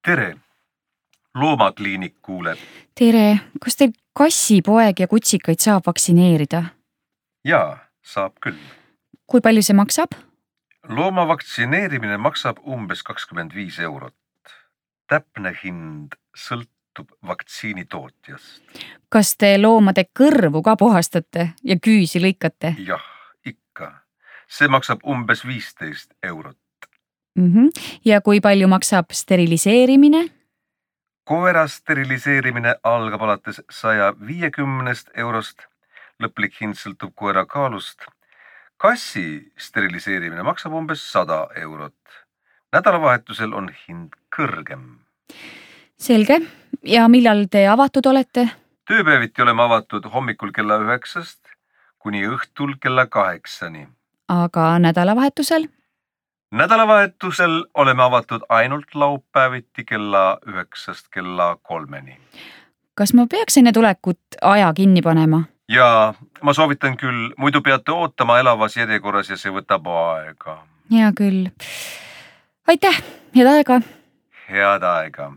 Tere! Loomakliinik kuuleb. Tere, kas teil kassi, poeg ja kutsikaid saab vaktsineerida? Jaa, saab küll. Kui palju see maksab? Looma vaktsineerimine maksab umbes 25 €. Täpne hind sõltub vaktsiini tootjast. Kas te loomade kõrvu ka puhastate ja küüsi lõikate? Jah, ikka. See maksab umbes 15 €. Ja kui palju maksab steriliseerimine? Koera steriliseerimine algab alates 150 €. Lõplik hind sõltub koera kaalust. Kassi steriliseerimine maksab umbes 100 €. Nädalavahetusel on hind kõrgem. Selge. Ja millal te avatud olete? Tööpäeviti oleme avatud hommikul kella 9 kuni õhtul kella 8. Aga nädalavahetusel? Nädalavahetusel oleme avatud ainult laupäeviti kella 9 kella 3. Kas ma peaks enne tulekut aja kinni panema? Ja ma soovitan küll, muidu peate ootama elavas järjekorras ja see võtab aega. Hea küll. Aitäh, head aega! Head aega!